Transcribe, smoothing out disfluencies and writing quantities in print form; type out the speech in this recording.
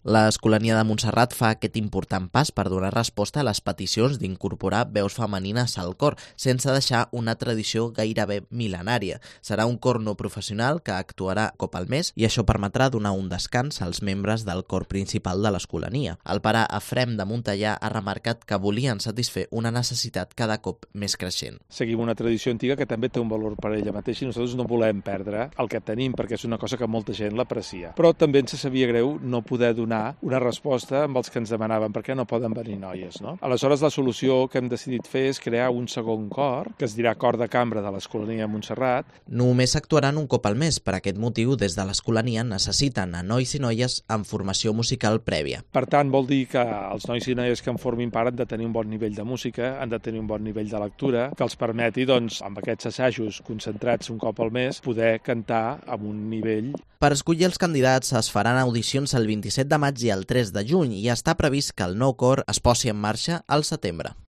L'Escolania de Montserrat fa aquest important pas per donar resposta a les peticions d'incorporar veus femenines al cor, sense deixar una tradició gairebé mil·lenària. Serà un cor no professional que actuarà un cop al mes i això permetrà donar un descans als membres del cor principal de l'Escolania. El pare Efrem de Montellà ha remarcat que volien satisfer una necessitat cada cop més creixent. Seguim una tradició antiga que també té un valor per ella mateixa i nosaltres no volem perdre el que tenim perquè és una cosa que molta gent l'aprecia. Però també ens sabia greu no poder donar una resposta amb els que ens demanaven per què no poden venir noies, no? Aleshores, la solució que hem decidit fer és crear un segon cor, que es dirà Cor de Cambra de l'Escolania de Montserrat. Només actuaran un cop al mes. Per aquest motiu, des de l'Escolania necessiten a nois i noies amb formació musical prèvia. Per tant, vol dir que els nois i noies que en formin part han de tenir un bon nivell de música, han de tenir un bon nivell de lectura, que els permeti, doncs, amb aquests assajos concentrats un cop al mes, poder cantar amb un nivell. Per escollir els candidats es faran audicions el 27 de maig i el 3 de juny i està previst que el nou cor es posi en marxa al setembre.